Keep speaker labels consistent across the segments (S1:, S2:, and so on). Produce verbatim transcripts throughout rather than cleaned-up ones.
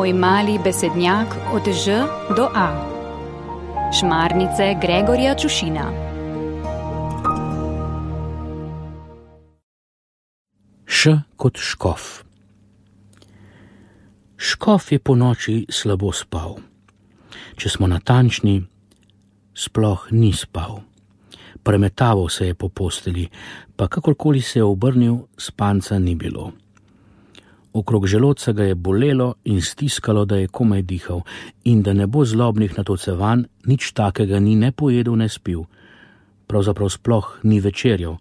S1: Moj mali besednjak od Ž do A. Šmarnice Gregorja Čušina.
S2: Š kot škof. Škof je po noči slabo spal. Če smo natančni, sploh ni spal. Premetaval se je po posteli, pa kakorkoli se je obrnil, spanca ni bilo. Okrog želodca ga je bolelo in stiskalo, da je komaj dihal, in da ne bo zlobnih natocevanj, nič takega ni ne pojedel, ne spil. Pravzaprav sploh ni večerjal.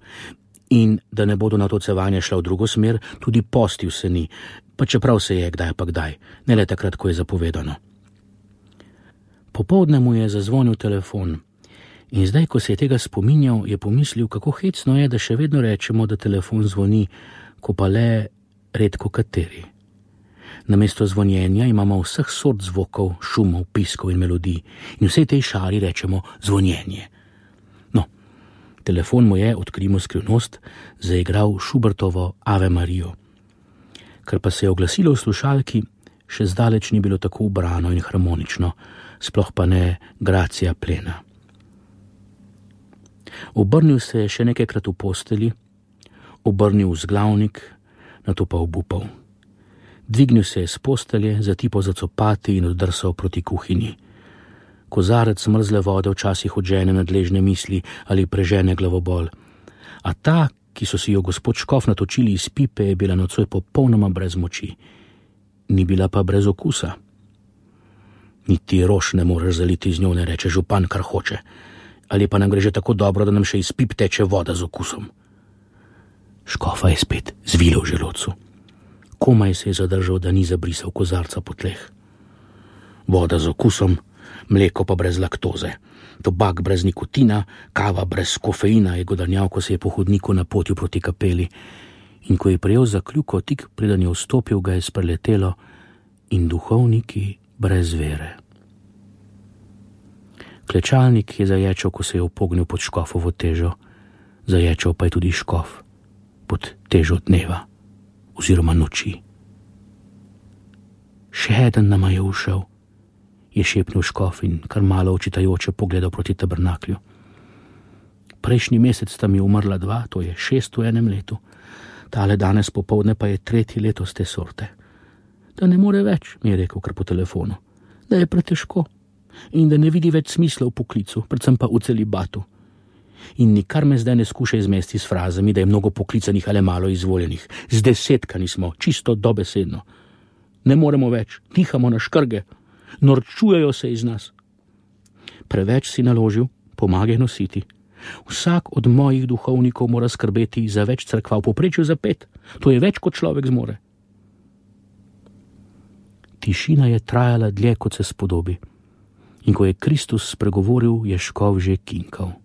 S2: In da ne bodo natocevanja šla v drugo smer, tudi postil se ni, pa čeprav se je kdaj pa kdaj, ne le takrat, ko je zapovedano. Popoldne mu je zazvonil telefon in zdaj, ko se je tega spominjal, je pomislil, kako hecno je, da še vedno rečemo, da telefon zvoni, ko pa le redko kateri. Namesto zvonjenja imamo vseh sort zvokov, šumov, piskov in melodij in vsej tej šari rečemo zvonjenje. No, telefon mu je, odkrimo skrivnost, zaigral Schubertovo Ave Marijo. Kar pa se je oglasilo v slušalki, še zdaleč ni bilo tako ubrano in harmonično, sploh pa ne gracija plena. Obrnil se je še nekajkrat v posteli, obrnil v zglavnik, nato pa obupal. Dvignil se je s postelje, zatipal za copati in oddrsal proti kuhinji. Kozarec mrzle vode včasih odžene nadležne misli ali prežene glavobol. A ta, ki so si jo gospod Škof natočili iz pipe, je bila nocoj popolnoma brez moči. Ni bila pa brez okusa. Niti rož ne moreš zaliti z njo, ne reče župan, kar hoče. Ali pa nam gre že tako dobro, da nam še iz pip teče voda z okusom. Škofa je spet zvilo v želodcu. Komaj se je zadržal, da ni zabrisal kozarca po tleh. Voda z okusom, mleko pa brez laktoze, tobak brez nikotina, kava brez kofeina, je godrnjal, ko se je po hodniku napotil proti kapeli. In ko je prejel za kljuko, tik preden je vstopil, ga je spreletelo in duhovniki brez vere. Klečalnik je zaječal, ko se je upognil pod škofovo težo. Zaječal pa je tudi škof pod težo dneva oziroma noči. Še eden nama je ušel, je šepnil škof in kar malo očitajoče pogledal proti tabernaklju. Prejšnji mesec sta mi umrla dva, to je šest v enem letu, tale danes popoldne pa je tretji letos te sorte. Da ne more več, mi je rekel kar po telefonu, da je pretežko in da ne vidi več smisla v poklicu, predvsem pa v celibatu. In nikar me zdaj ne skuša izmesti s frazami, da je mnogo poklicanih ali malo izvoljenih. Zdesetkani smo, čisto dobesedno. Ne moremo več, dihamo na škrge, norčujejo se iz nas. Preveč si naložil, pomagaj nositi. Vsak od mojih duhovnikov mora skrbeti za več cerkva, v povprečju za pet. To je več, kot človek zmore. Tišina je trajala dlje, kot se spodobi. In ko je Kristus spregovoril, je škof že kinkal.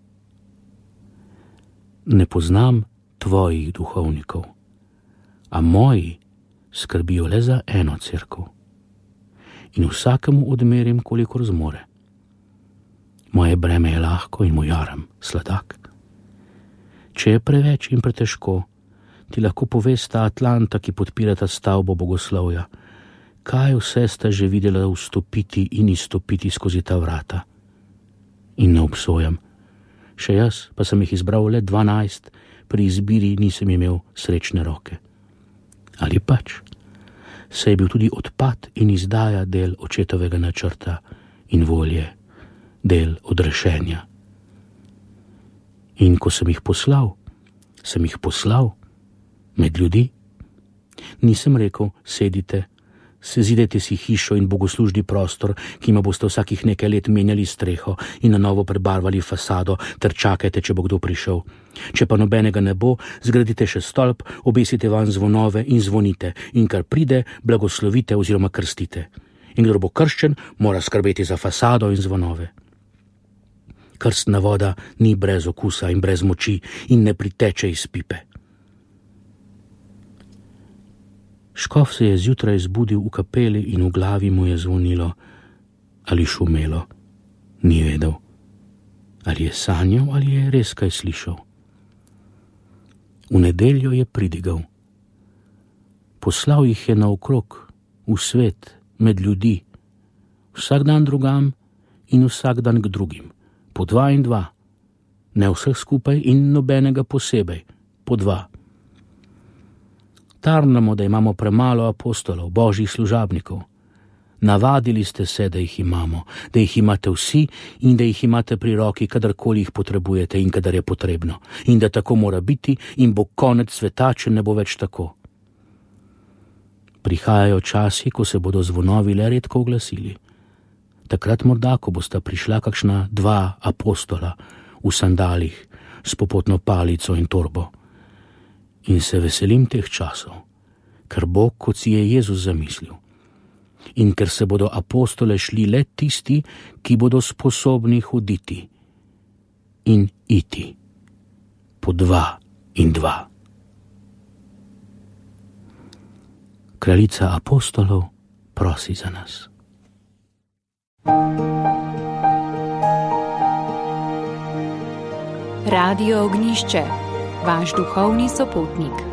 S2: Ne poznam tvojih duhovnikov, a moji skrbijo le za eno cerkev. In vsakemu odmerim, kolikor zmore. Moje breme je lahko in moj jaram sladak. Če je preveč in pretežko, ti lahko povesta Atlanta, ki podpirata stavbo bogoslovja, kaj vse sta že videla vstopiti in izstopiti skozi ta vrata. In ne obsojam. Še jaz pa sem jih izbral le dvanajst, pri izbiri nisem imel srečne roke. Ali pač, se je bil tudi odpad in izdaja del očetovega načrta in volje, del odrešenja. In ko sem jih poslal, sem jih poslal med ljudi. Nisem rekel, sedite, sezidajte si hišo in bogoslužni prostor, ki ima boste vsakih nekaj let menjali streho in na novo prebarvali fasado, ter čakajte, če bo kdo prišel. Če pa nobenega ne bo, zgradite še stolp, obesite van zvonove in zvonite, in kar pride, blagoslovite oziroma krstite. In kdo bo krščen, mora skrbeti za fasado in zvonove. Krstna voda ni brez okusa in brez moči in ne priteče iz pipe. Škof se je zjutraj zbudil v kapeli in v glavi mu je zvonilo ali šumelo. Ni vedel, ali je sanjal ali je res kaj slišal. V nedeljo je pridigal. Poslal jih je naokrog, v svet, med ljudi, vsak dan drugam in vsak dan k drugim, po dva in dva, ne vseh skupaj in nobenega posebej, po dva. Tarnamo, da imamo premalo apostolov, božjih služabnikov. Navadili ste se, da jih imamo, da jih imate vsi in da jih imate pri roki, kadarkoli jih potrebujete in kadar je potrebno. In da tako mora biti in bo konec sveta, če ne bo več tako. Prihajajo časi, ko se bodo zvonovi le redko oglasili. Takrat morda, ko bosta prišla kakšna dva apostola v sandalih s popotno palico in torbo. In se veselim teh časov, ker bo, kot si je Jezus zamislil. In ker se bodo apostole šli le tisti, ki bodo sposobni hoditi in iti, po dva in dva. Kraljica apostolov prosi za nas.
S1: Radio Ognišče, vaš duhovni sopotnik.